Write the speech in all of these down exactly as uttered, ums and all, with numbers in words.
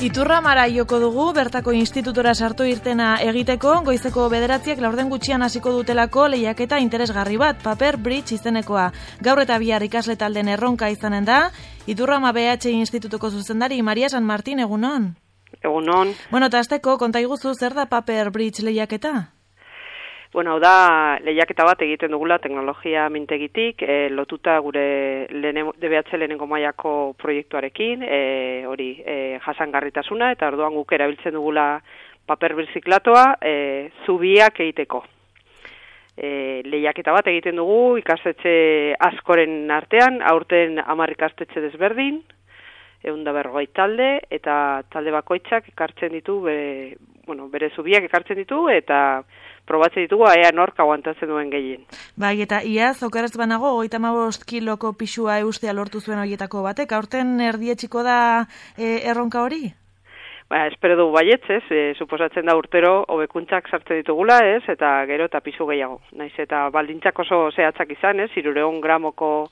Iturramara joko dugu, bertako institutora sartu irtena egiteko, goizeko bederatziak laurden gutxian hasiko dutelako lehiaketa interesgarri bat, Paper Bridge izenekoa. Gaur eta bihar ikasle talden erronka izanen da, Iturrama B H Institutuko zuzendari Maria San Martin, egunon? Egunon. Bueno, eta azteko, konta iguzu, zer da Paper Bridge lehiaketa? Bueno, hau da, lehiaketa bat egiten dugula teknologia mintegitik, e, lotuta gure D B H lehenengo mailako proiektuarekin, e, hori e, jasangarritasuna, eta orduan guk erabiltzen dugula paper birziklatoa e, zubiak egiteko. E, lehiaketa bat egiten dugu ikastetxe askoren artean, aurten hamar ikastetxe desberdin, ehun eta berrogei talde, eta talde bakoitzak ekartzen ditu, bere, bueno, bere zubiak ekartzen ditu, eta probatzen ditugu ea nork aguantatzen duen gehien. Bai, eta iaz, okeraz banago, hogeita hamabost kiloko pisua eustea lortu zuen horietako batek, aurten erdietxiko da e, erronka hori? Ba, espero dugu baietz, ez, e, suposatzen da urtero hobekuntzak sartzen ditugula, ez, eta gero eta pisu gehiago. Naiz eta baldintzak oso zehatzak izan, ez, hirureun gramoko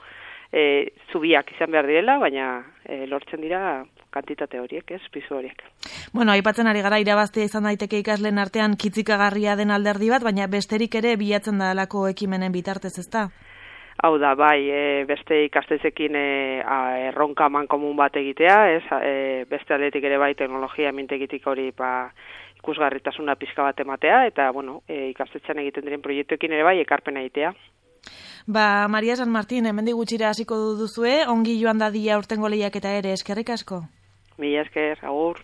e, zubiak izan behar direla, baina e, lortzen dira kantitate horiek, ez, pisu horiek. Bueno, aipatzen ari gara irabaztea izan daiteke ikasleen artean kitzikagarria den alderdi bat, baina besterik ere bilatzen da alako ekimenen bitartez, ezta? Hau da, bai, e, beste ikastetxeekin e, erronka mankomun bat egitea, ez, e, beste aldetik ere bai teknologia mintegitik hori ba, ikusgarritasuna pizka bat ematea, eta bueno, e, ikastetxean egiten diren proiektuekin ere bai ekarpena egitea. Ba, Maria San Martin, hemendik gutxira hasiko duzue, ongi joan dadia urtengo lehiaketa ere, eskerrik asko. Mila esker, agur.